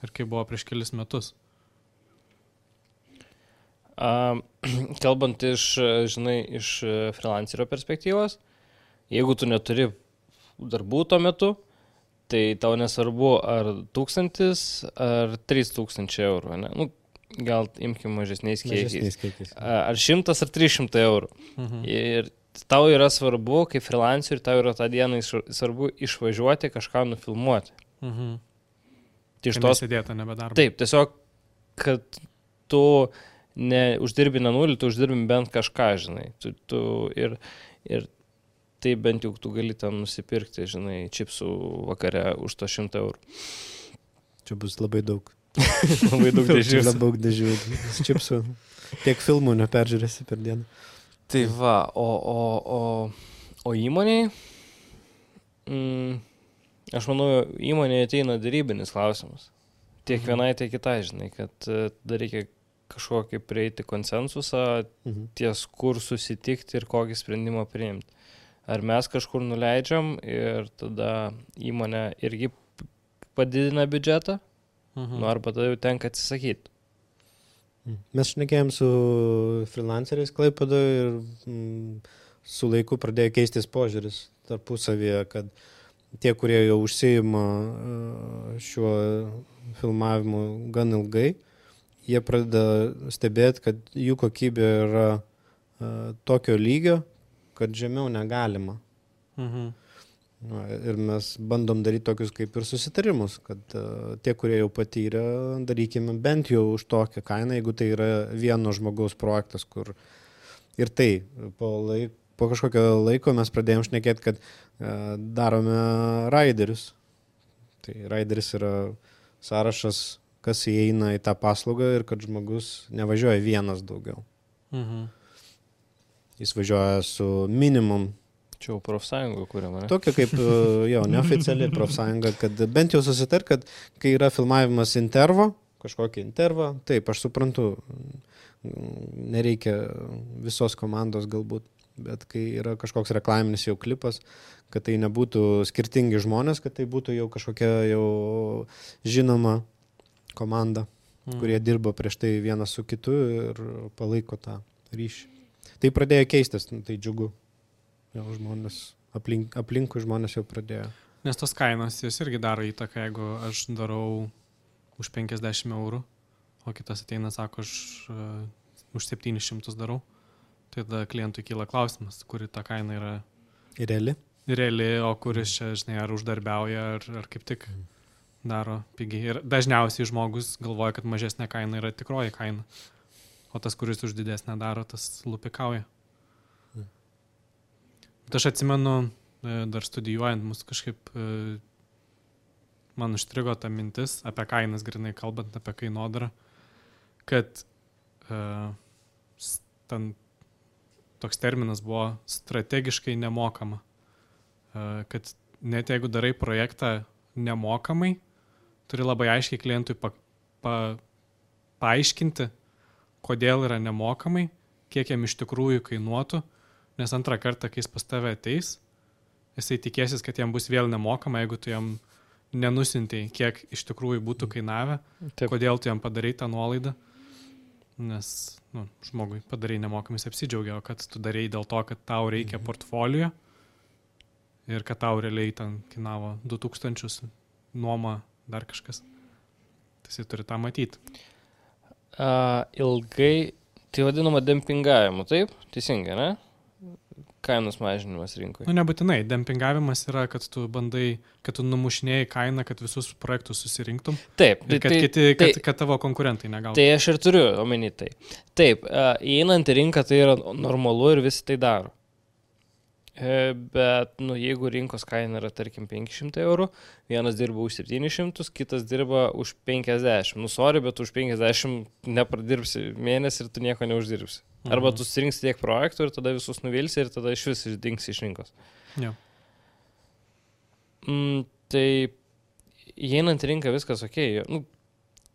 [SPEAKER 3] ir kaip buvo prieš kelis metus.
[SPEAKER 1] Kalbant iš freelancerio perspektyvos, jeigu tu neturi darbų tuo metu, tai tau nesvarbu ar 1,000 ar 3,000 eurų, ne? Gal imkim mažesniais kiekiais. Ar 100 ar 300 eurų. Ir tau yra svarbu, kaip freelanceriui, tau yra tą dieną svarbu išvažiuoti, kažką nufilmuoti.
[SPEAKER 3] Tai nesėdėta nebedarbo.
[SPEAKER 1] Taip, tiesiog, kad tu neuždirbi ne nulį, tu uždirbi bent kažką, ir tai bent jau tu gali ten nusipirkti, čipsų vakare už to 100 eurų.
[SPEAKER 2] Čia bus labai daug.
[SPEAKER 1] Labai daug dėžių.
[SPEAKER 2] Labai daug dėžių. Čipsų. Tiek filmų neperžiūrėsi per dieną.
[SPEAKER 1] Tai va, o įmoniai, aš manau, įmonėje ateina darybinis klausimas. Tiek vienai, tiek kitai, kad dar reikia kažkokį prieiti konsensusą, ties kur susitikti ir kokį sprendimą priimti. Ar mes kažkur nuleidžiam ir tada įmonė irgi padidina biudžetą, arba tada jau tenka atsisakyti.
[SPEAKER 2] Mes šnekėjom su freelanceriais Klaipėdoje ir su laiku pradėjo keistis požiūris tarpusavyje, kad tie, kurie jau užsiima šiuo filmavimu gan ilgai, jie pradeda stebėti, kad jų kokybė yra tokio lygio, kad žemiau negalima. Ir mes bandom daryti tokius kaip ir susitarimus, kad tie, kurie jau patyrė, darykime bent jau už tokią kainą, jeigu tai yra vieno žmogaus projektas, kur ir tai po kažkokio laiko mes pradėjom šnekėti, kad darome raiderius. Tai raideris yra sąrašas, kas įeina į tą paslaugą ir kad žmogus nevažiuoja vienas daugiau. Jis važiuoja su minimum.
[SPEAKER 1] Čia jau profsąjunga kuriama, ne?
[SPEAKER 2] Tokia kaip, neoficiali profsąjunga, kad bent jau susitar, kad kai yra filmavimas kažkokį intervą, taip, aš suprantu, nereikia visos komandos galbūt, bet kai yra kažkoks reklaminis jau klipas, kad tai nebūtų skirtingi žmonės, kad tai būtų jau kažkokia jau žinoma komanda, kurie dirba prieš tai vienas su kitu ir palaiko tą ryšį. Tai pradėjo keistis, tai džiugu. Jau žmonės, aplinkui žmonės jau pradėjo.
[SPEAKER 3] Nes tos kainos jos irgi daro įtaką, jeigu aš darau už 50 eurų, o kitas ateina, sako, aš už 700 darau, tai tada klientui kyla klausimas, kuri ta kaina yra reali, o kuris čia, ar uždarbiauja, ar kaip tik daro pigiai. Ir dažniausiai žmogus galvoja, kad mažesnė kaina yra tikroji kaina, o tas, kuris už didesnę daro, tas lupikauja. Bet aš atsimenu, dar studijuojant mus kažkaip, man užstrigo ta mintis apie kainas, grinai kalbant apie kainodarą, kad ten toks terminas buvo strategiškai nemokama. Kad net jeigu darai projektą nemokamai, turi labai aiškiai klientui paaiškinti, kodėl yra nemokamai, kiek jam iš tikrųjų kainuotų, nes antrą kartą, kai jis pas tave ateis, jisai tikėsis, kad jam bus vėl nemokama, jeigu tu jam nenusintei, kiek iš tikrųjų būtų kainavę, kodėl tu jam padarai tą nuolaidą, nes žmogui padarai nemokamai, jis apsidžiaugia, kad tu darai dėl to, kad tau reikia portfolio ir kad tau realiai ten kainavo 2000 nuoma dar kažkas. Tai jisai turi tą matyti.
[SPEAKER 1] Ilgai, tai vadinama dempingavimu, taip? Teisingai, ne? Kainos mažinimas rinkoje.
[SPEAKER 3] Nebūtinai. Dempingavimas yra, kad tu bandai, kad tu numušinėjai kainą, kad visus projektus susirinktum.
[SPEAKER 1] Taip.
[SPEAKER 3] Ir kad tavo konkurentai negautų.
[SPEAKER 1] Tai aš ir turiu omeny tai. Taip, įeinant į rinką tai yra normalu ir visi tai daro. Bet, jeigu rinkos kaina yra, tarkim, 500 eurų, vienas dirba už 700, kitas dirba už 50. Sorry, bet už 50 nepradirbsi mėnesį ir tu nieko neuždirbsi. Arba tu surinksi tiek projektų ir tada visus nuvilsi ir tada iš vis išdingsi iš rinkos.
[SPEAKER 3] Ja.
[SPEAKER 1] Tai įeinant į rinką viskas okei.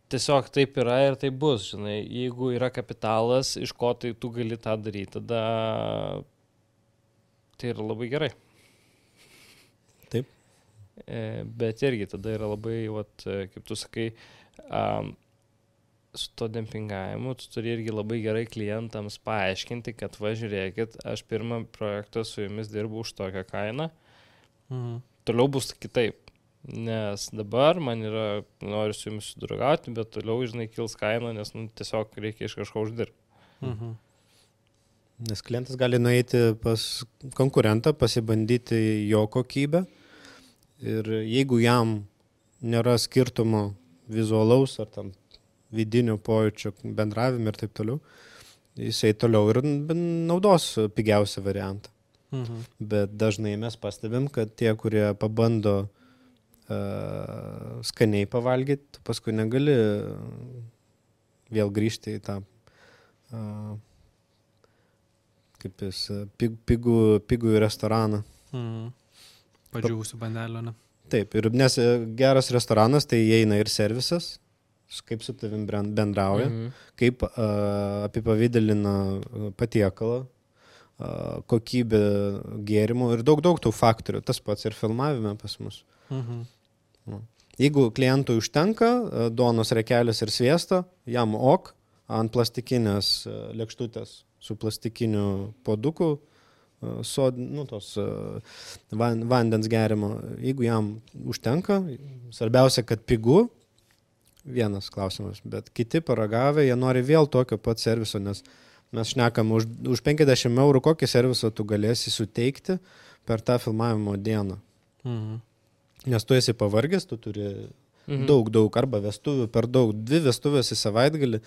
[SPEAKER 1] Tiesiog taip yra ir taip bus, žinai. Jeigu yra kapitalas, iš ko tai tu gali tą daryti, tada tai yra labai gerai.
[SPEAKER 2] Taip.
[SPEAKER 1] Bet irgi tada yra labai, kaip tu sakai, su to dempingavimu, tu turi irgi labai gerai klientams paaiškinti, kad žiūrėkit, aš pirmą projektą su jumis dirbu už tokią kainą, toliau bus kitaip, nes dabar man yra, noriu su jumis sudraugauti, bet toliau, žinai, kils kaina, nes tiesiog reikia iš kažko uždirbti.
[SPEAKER 2] Nes klientas gali nueiti pas konkurentą, pasibandyti jo kokybę ir jeigu jam nėra skirtumo vizualaus ar tam vidinių pojūčių bendravimą ir taip toliau, jisai toliau ir naudos pigiausią variantą. Bet dažnai mes pastebim, kad tie, kurie pabando skaniai pavalgyti, paskui negali vėl grįžti į tą kaip jis, pigų restoraną.
[SPEAKER 3] Padžiūvusių bandelio, ne?
[SPEAKER 2] Taip, ir nes geras restoranas, tai įeina ir servisas, kaip su tavim bendrauja, kaip apipavidalina patiekalą, kokybė gėrimų ir daug tų faktorių. Tas pats ir filmavime pas mus. Jeigu klientui užtenka duonos rekelės ir sviesto, jam ant plastikinės lėkštutės su plastikiniu puoduku, tos vandens gerimo. Jeigu jam užtenka, svarbiausia, kad pigu, vienas klausimas, bet kiti paragavę, jie nori vėl tokio pat serviso, nes mes šnekam už 50 eurų, kokį servisą tu galėsi suteikti per tą filmavimo dieną. Nes tu esi pavargęs, tu turi daug, arba vestuvių per daug, 2 vestuvės į savaitgalį,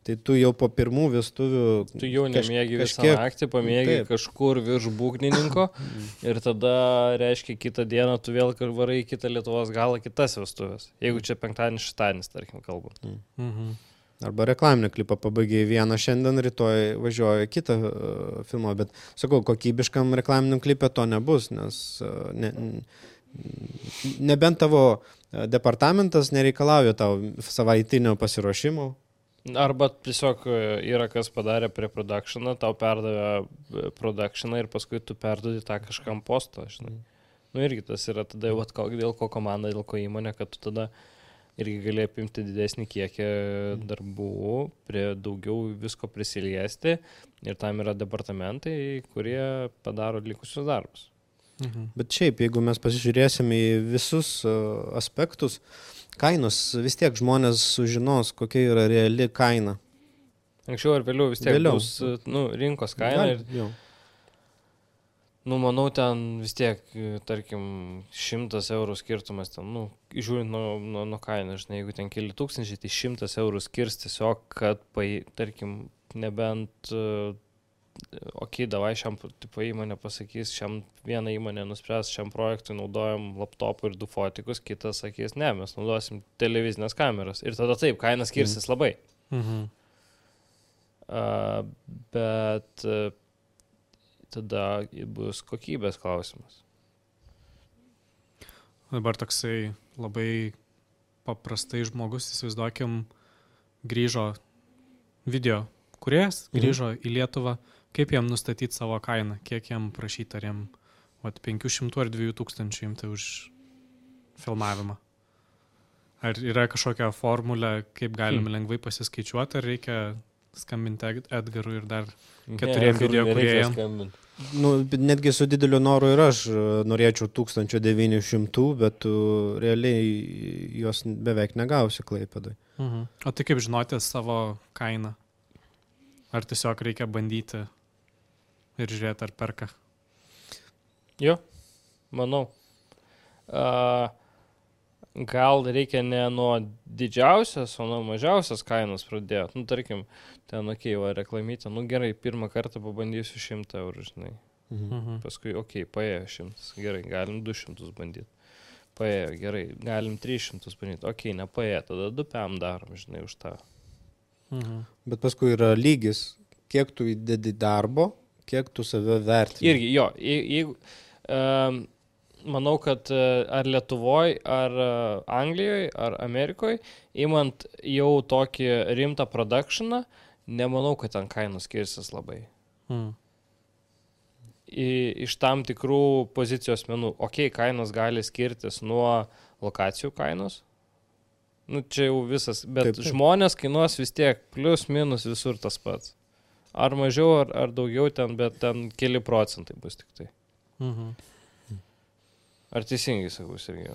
[SPEAKER 2] tai tu jau po pirmų vestuvių...
[SPEAKER 1] Tu jau nemėgi visą naktį, pamėgi kažkur virš būgnininko ir tada, reiškia, kitą dieną tu vėl varai į kitą Lietuvos galą kitas vestuvės. Jeigu čia penktadienis, šeštadienis, tarkim, kalbant.
[SPEAKER 2] Arba reklaminį klipą pabaigiai vieną šiandien, rytoj važiuoja kitą filmą, bet sakau, kokybiškam reklaminiam klipė to nebus, nes nebent tavo departamentas nereikalauja tau savaitinio pasiruošimo.
[SPEAKER 1] Arba tiesiog yra kas padarė prie productioną, tau perdavė productioną ir paskui tu perdodi tą kažkam postą, žinai. Irgi tas yra tada, dėl ko komanda, dėl ko įmonė, kad tu tada irgi gali apimti didesnį kiekį darbų, prie daugiau visko prisiliesti ir tam yra departamentai, kurie padaro likusius darbus.
[SPEAKER 2] Bet šiaip, jeigu mes pasižiūrėsime į visus aspektus, kainos vis tiek žmonės sužinos, kokia yra reali kaina.
[SPEAKER 1] Anksčiau ar vėliau vis tiek bus rinkos kaina. Manau, ten vis tiek, tarkim, 100 eurų skirtumas, ten, žiūrint nuo kainą, žinai, jeigu ten keli tūkstančiai, tai 100 eurų skirs tiesiog, kad, tarkim, nebent... davai šiam įmonė pasakys, šiam vieną įmonę nuspręs, šiam projektui naudojam laptopų ir 2 fotikus, kitas sakys, ne, mes naudosim televizinės kameras. Ir tada taip, kaina skirsis labai. Bet tada bus kokybės klausimas.
[SPEAKER 3] Dabar toksai labai paprastai žmogus, įsivaizduokim, grįžo video kūrėjas, grįžo į Lietuvą. Kaip jam nustatyti savo kainą? Kiek jam prašyti? Ar jam 500 ar 2000 imti už filmavimą? Ar yra kažkokia formulė, kaip galime lengvai pasiskaičiuoti, ar reikia skambinti Edgarui ir dar 4 video kūrėjams.
[SPEAKER 2] Nu, netgi su dideliu noru ir aš norėčiau 1900, bet tu realiai jos beveik negausi Klaipėdoj.
[SPEAKER 3] O tai kaip žinoti savo kainą? Ar tiesiog reikia bandyti ir žiūrėti, ar perka?
[SPEAKER 1] Jo, manau. Gal reikia ne nuo didžiausios, o nuo mažiausios kainos pradėti. Nu, tarkim, ten, va, reklamytė, nu gerai, pirmą kartą pabandysiu 100 eurų, žinai. Paskui, paėjo 100, gerai, galim 200 bandyti. Paėjo, gerai, galim 300 bandyti, nepaėjo, tada 2 PM darom, žinai, už tą.
[SPEAKER 2] Bet paskui yra lygis, kiek tu įdedi darbo, kiek tu save vertini.
[SPEAKER 1] Irgi, jo, jeigu... Manau, kad ar Lietuvoje, ar Anglijoje, ar Amerikoje, imant jau tokį rimtą productioną, nemanau, kad ten kainos skirsis labai. Iš tam tikrų pozicijos menų. Kainos gali skirtis nuo lokacijų kainos. Nu, čia jau visas, bet taip. Žmonės kainuos vis tiek, plius, minus visur tas pats. Ar mažiau, ar daugiau ten, bet ten keli procentai bus tik tai. Ar teisingai sakau, Sergejau?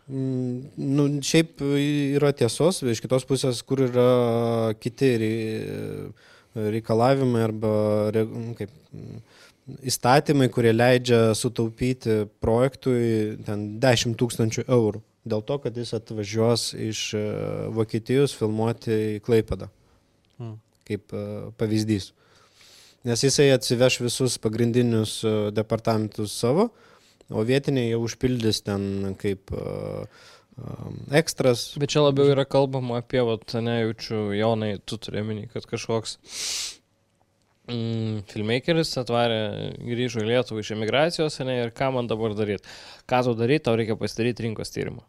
[SPEAKER 2] Nu, šiaip yra tiesos, iš kitos pusės, kur yra kiti reikalavimai arba įstatymai, kurie leidžia sutaupyti projektui ten 10 000 eurų. Dėl to, kad jis atvažiuos iš Vokietijos filmuoti į Klaipėdą. Kaip pavyzdys. Nes jisai atsiveš visus pagrindinius departamentus savo, o vietiniai jau užpildys ten kaip ekstras.
[SPEAKER 1] Bet čia labiau yra kalbama apie, nejaučiu, Jonai, tu turėminį, kad kažkoks filmmakeris atvarė, grįžo į Lietuvą iš emigracijos, ir ką man dabar daryti? Ką tu daryti, tau reikia pasidaryti rinkos tyrimą.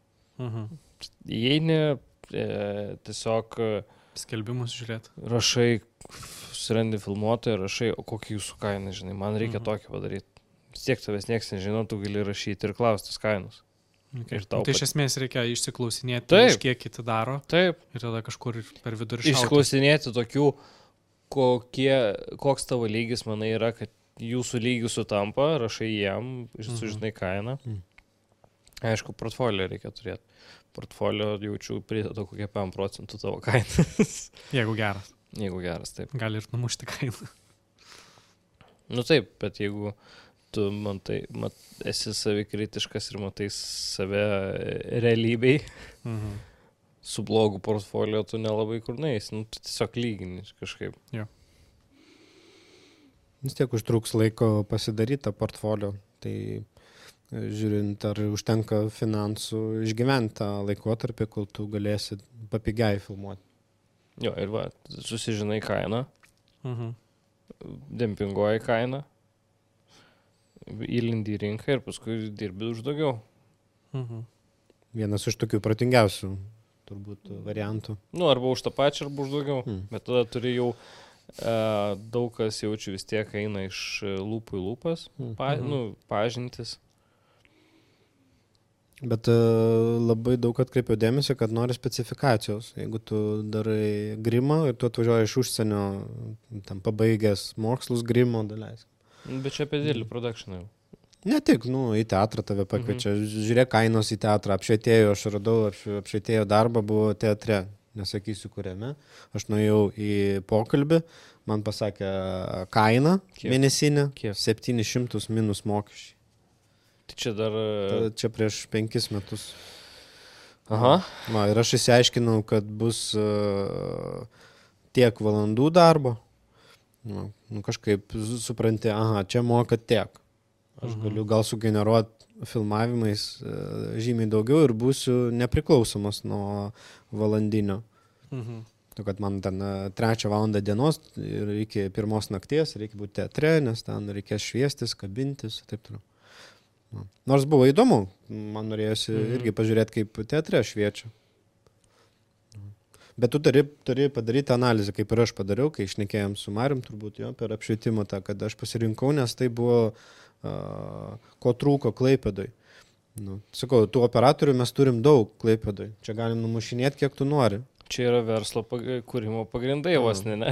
[SPEAKER 1] Įeini, tiesiog...
[SPEAKER 3] Skelbimus žiūrėti.
[SPEAKER 1] Rašai, susirandi filmuotoją, rašai, o kokį jūsų kainą, žinai, man reikia tokį padaryti. Vis tiek tavęs nieks nežino, tu gali rašyti ir klaustis kainos.
[SPEAKER 3] Tai iš esmės reikia išsiklausinėti, iš kiek kiti daro.
[SPEAKER 1] Taip.
[SPEAKER 3] Ir tada kažkur per vidurį šauti.
[SPEAKER 1] Išsiklausinėti tokių, koks tavo lygis, manai, yra, kad jūsų lygis sutampa, rašai jiem, sužinai kainą. Aišku, portfolio reikia turėti. Portfolio jaučiu prideda kokie 5% tavo kainas.
[SPEAKER 3] Jeigu geras.
[SPEAKER 1] Jeigu geras, taip.
[SPEAKER 3] Gali ir numušti kainą.
[SPEAKER 1] Nu taip, bet jeigu tu esi savikritiškas ir matai save realybei, su blogu portfolio tu nelabai kur neis, tu tiesiog lygini kažkaip.
[SPEAKER 3] Jo.
[SPEAKER 2] Vis tiek užtruks laiko pasidaryti tą portfolio, tai žiūrint, ar užtenka finansų išgyventi tą laikotarpį, kol tu galėsi papigiai filmuoti.
[SPEAKER 1] Jo, ir susižinai kainą, dempinguoji kainą, įlindi į rinką ir paskui dirbi už daugiau.
[SPEAKER 2] Vienas iš tokių protingiausių turbūt variantų.
[SPEAKER 1] Arba už tą pačią, arba už daugiau. Bet tada turi jau daug kas jaučiu vis tiek eina iš lūpų į lūpas, pažintis. Bet
[SPEAKER 2] labai daug atkreipiau dėmesį, kad nori specifikacijos. Jeigu tu darai grimą ir tu atvažiuoji iš užsienio, tam pabaigęs mokslus grimo daleis.
[SPEAKER 1] Bet čia apie didelį productioną jau.
[SPEAKER 2] Ne tik, į teatrą tave pakviečia. Žiūrėk kainos į teatrą. Apšvietėjo, aš radau apšvietėjo darbą, buvo teatre. Nesakysiu kuriame. Aš nuėjau į pokalbį, man pasakė kainą mėnesinę, 700 minus mokesčiai.
[SPEAKER 1] Tai čia dar...
[SPEAKER 2] Čia prieš 5 metus.
[SPEAKER 1] Aha.
[SPEAKER 2] Ir aš išsiaiškinau, kad bus tiek valandų darbo. Kažkaip supranti, čia moka tiek. Aš galiu gal sugeneruoti filmavimais žymiai daugiau ir būsiu nepriklausomas nuo valandinio. Kad man ten 3 valandą dienos ir iki 1 nakties reikia būti teatre, nes ten reikės šviestis, kabintis ir taip toliau. Nors buvo įdomu, man norėjosi irgi pažiūrėti, kaip teatre šviečia. Bet tu turi padaryti analizę, kaip ir aš padariau, kai šnekėjom su Marium turbūt per apšvietimą tą, kad aš pasirinkau, nes tai buvo, ko trūko Klaipėdoj. Sakau, tų operatorių mes turim daug Klaipėdoj. Čia galim numušinėti, kiek tu nori.
[SPEAKER 1] čia yra verslo kūrimo pagrindai vos, ne?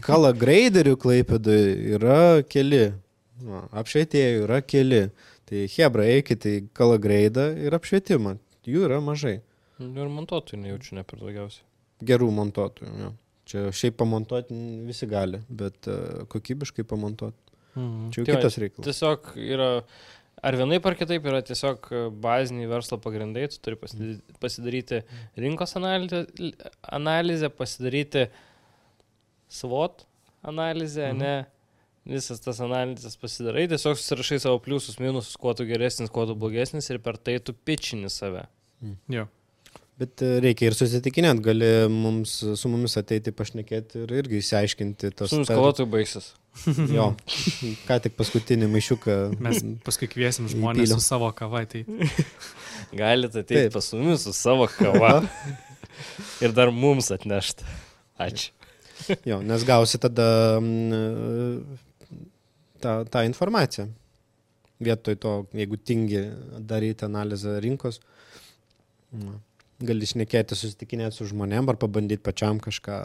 [SPEAKER 2] Kala graderių Klaipėdai yra keli, apšvietėjų yra keli. Tai hebra, eikite į kala gradą ir apšvietimą. Jų yra mažai.
[SPEAKER 1] Ir montuotojų nejaučiu ne per daugiausiai.
[SPEAKER 2] Gerų montuotojų, jo. Čia šiaip pamontuoti visi gali, bet kokybiškai pamontuoti. Čia jau kitas reikalas.
[SPEAKER 1] Tiesiog yra, ar vienaip ar kitaip yra tiesiog baziniai verslo pagrindai, tu turi pasidaryti rinkos analizę, pasidaryti SWOT analizę, ne? Visas tas analizės pasidarai, tiesiog susirašai savo pliusus, minusus, kuo tu geresnis, kuo tu blogesnis ir per tai tu pičini save.
[SPEAKER 3] Jo.
[SPEAKER 2] Bet reikia ir susitikinėti, gali su mumis ateiti pašnekėti ir irgi išsiaiškinti tos...
[SPEAKER 1] Su nuskalotojų baigsis.
[SPEAKER 2] Jo, ką tik paskutinį maišiuką.
[SPEAKER 3] Mes paskui kviesim žmonės su savo kava. Tai...
[SPEAKER 1] Galite ateiti pas mumis su savo kava ir dar mums atnešti. Ačiū.
[SPEAKER 2] Jo, nes gausi tada tą informaciją. Vietoj to, jeigu tingi daryti analizę rinkos, gali šnekėti, susitikinėti su žmonėm ar pabandyti pačiam kažką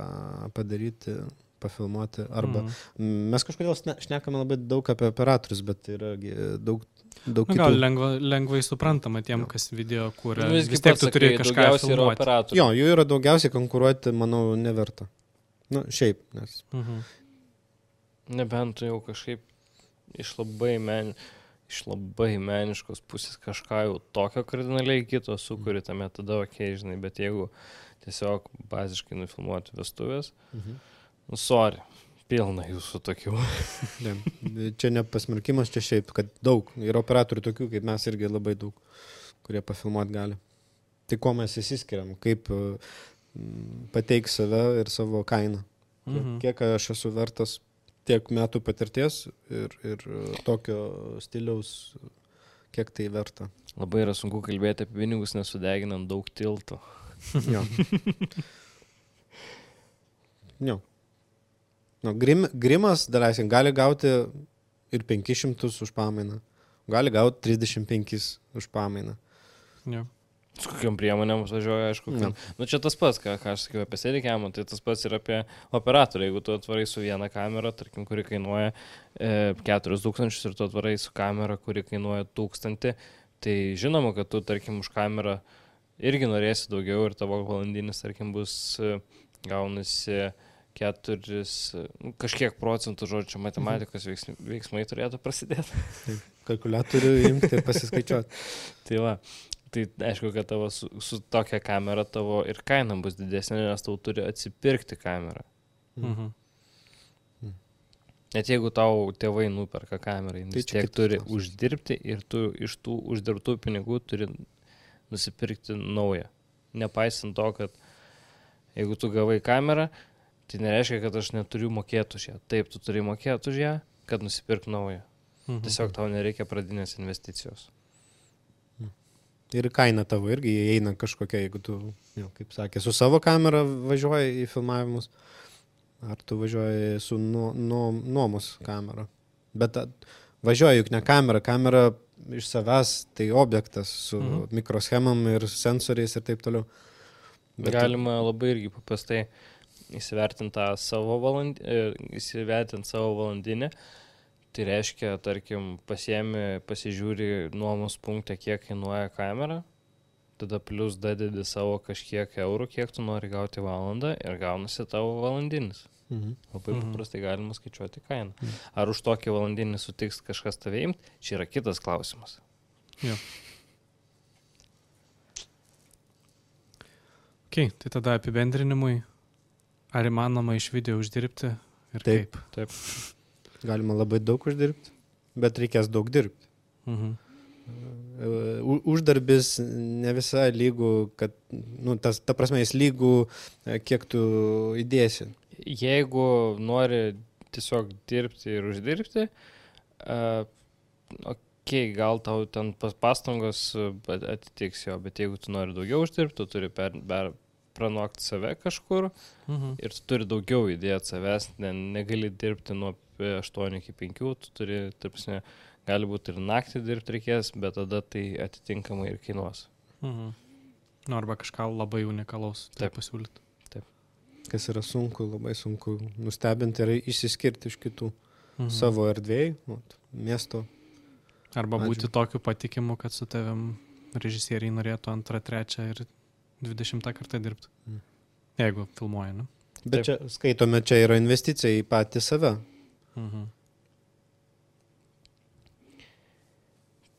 [SPEAKER 2] padaryti, pafilmuoti. Arba mes kažkodėl šnekame labai daug apie operatorius, bet yra daug kitų.
[SPEAKER 3] Gal lengvai suprantama tiem, kas video kūrė. Vis tiek tu turi kažką filmuoti.
[SPEAKER 2] Jo, jų yra daugiausiai, konkuruoti, manau, neverta. Nu, šiaip, nes...
[SPEAKER 1] Nebent tu jau kažkaip iš labai meniškos pusės kažką jau tokio kardinaliai kito sukuri tame, tada žinai, bet jeigu tiesiog baziškai nufilmuoti vestuvės, sorry, pilna jūsų tokių.
[SPEAKER 2] Čia ne pasmerkimas, čia šiaip, kad daug, ir operatorių tokių, kaip mes irgi labai daug, kurie pafilmuoti gali. Tai ko mes įsiskiriam, kaip pateiks save ir savo kainą. Kiek aš esu vertas tiek metų patirties ir tokio stiliaus, kiek tai verta.
[SPEAKER 1] Labai yra sunku kalbėti apie pinigus, nesudeginant daug tiltų.
[SPEAKER 2] Jo. Jo. No, grimas, daleiskim, gali gauti ir 500 už pamainą. Gali gauti 35 už pamainą.
[SPEAKER 3] Jo.
[SPEAKER 1] Su kokiam priemonėm važiuoja, aišku. Nu, čia tas pats, ką aš sakiau apie sėdikėmą, tai tas pats ir apie operatorių. Jeigu tu atvarai su viena kamera, tarkim, kuri kainuoja 4000 ir tu atvarai su kamera, kuri kainuoja 1000, tai žinoma, kad tu, tarkim, už kamerą irgi norėsi daugiau ir tavo valandinis, tarkim, bus gaunasi 4, kažkiek procentų, žodžiu, matematikos veiksmai turėtų prasidėti.
[SPEAKER 2] Kalkuliatorių imti ir pasiskaičiuoti.
[SPEAKER 1] Tai va. Tai aišku, kad tavo su tokia kamera tavo ir kaina bus didesnė, nes tau turi atsipirkti kamerą. Net jeigu tau tėvai nuperka kamerą, tai tiek turi uždirbti ir tu iš tų uždirbtų pinigų turi nusipirkti naują. Nepaisant to, kad jeigu tu gavai kamerą, tai nereiškia, kad aš neturiu mokėti už ją. Taip, tu turi mokėti už ją, kad nusipirk naują. Tiesiog tau nereikia pradinės investicijos.
[SPEAKER 2] Ir kaina tavo irgi įeina kažkokia, jeigu tu, kaip sakė, su savo kamera važiuoji į filmavimus, ar tu važiuoji su nuomos kamera. Bet važiuoji juk ne kamera iš savęs tai objektas su mikroschemam ir sensoriais ir taip toliau. Bet
[SPEAKER 1] galima labai irgi paprastai įsivertinti savo valandinę. Tai reiškia, tarkim, pasižiūri nuomos punktą, kiek kainuoja kamera, tada plus dadedi savo kažkiek eurų, kiek tu nori gauti valandą ir gaunasi tavo valandinis. Labai paprastai galima skaičiuoti kainą. Ar už tokį valandinį sutiks kažkas tave imti, čia yra kitas klausimas.
[SPEAKER 3] Jo. Ok, tai tada apibendrinimui, ar įmanoma iš video uždirbti ir
[SPEAKER 2] taip.
[SPEAKER 3] Kaip?
[SPEAKER 2] Taip. Galima labai daug uždirbti, bet reikės daug dirbti. Uždarbis ne visai lygų, kad, ta prasme, jis lygų, kiek tu įdėsi.
[SPEAKER 1] Jeigu nori tiesiog dirbti ir uždirbti, gal tau ten pastangos atitiks jo, bet jeigu tu nori daugiau uždirbti, tu turi pranokti save kažkur ir tu turi daugiau įdėti savęs, negali dirbti nuo 8 iki 5, tu turi, tarpsime, gali būti ir naktį dirbti reikės, bet tada tai atitinkamai ir kainuos.
[SPEAKER 3] Nu, arba kažką labai unikalaus
[SPEAKER 1] Taip.
[SPEAKER 3] pasiūlyti.
[SPEAKER 2] Kas yra sunku, labai sunku nustebinti ir išsiskirti iš kitų savo erdvėjai, miesto.
[SPEAKER 3] Arba
[SPEAKER 2] Ačiū.
[SPEAKER 3] būti tokiu patikimu, kad su tavim režisieriai norėtų 2, 3 ir 20 kartą dirbti. Jeigu filmuoja, ne?
[SPEAKER 2] Bet čia, skaitome, čia yra investicija į patį save.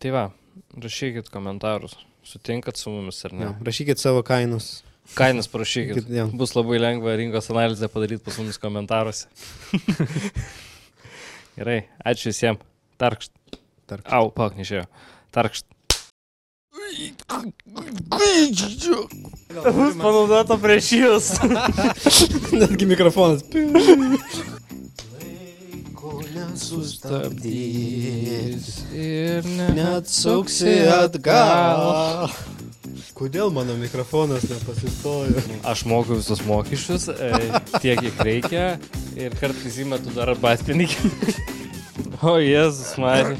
[SPEAKER 1] Tai va, rašykit komentarus. Sutinkat su mumis ar ne?
[SPEAKER 2] Ja, rašykit savo kainos.
[SPEAKER 1] Kainas prašykit.
[SPEAKER 2] Ja.
[SPEAKER 1] Bus labai lengva rinkos analizę padaryti pas mumis komentaruose. Gerai, ačiū visiems. Tarkšt. Au, paknešėjo. Tarkšt. Bus panaudota prieš jūs.
[SPEAKER 2] Netgi mikrofonas.
[SPEAKER 1] Sustabdys ir
[SPEAKER 2] Neatsuksi atgal. Kodėl mano mikrofonas nepasistojo?
[SPEAKER 1] Aš moku visus mokesčius, tiek kiek reikia ir kartais įmetu dar arbatpinigį. O Jėzus, Marija.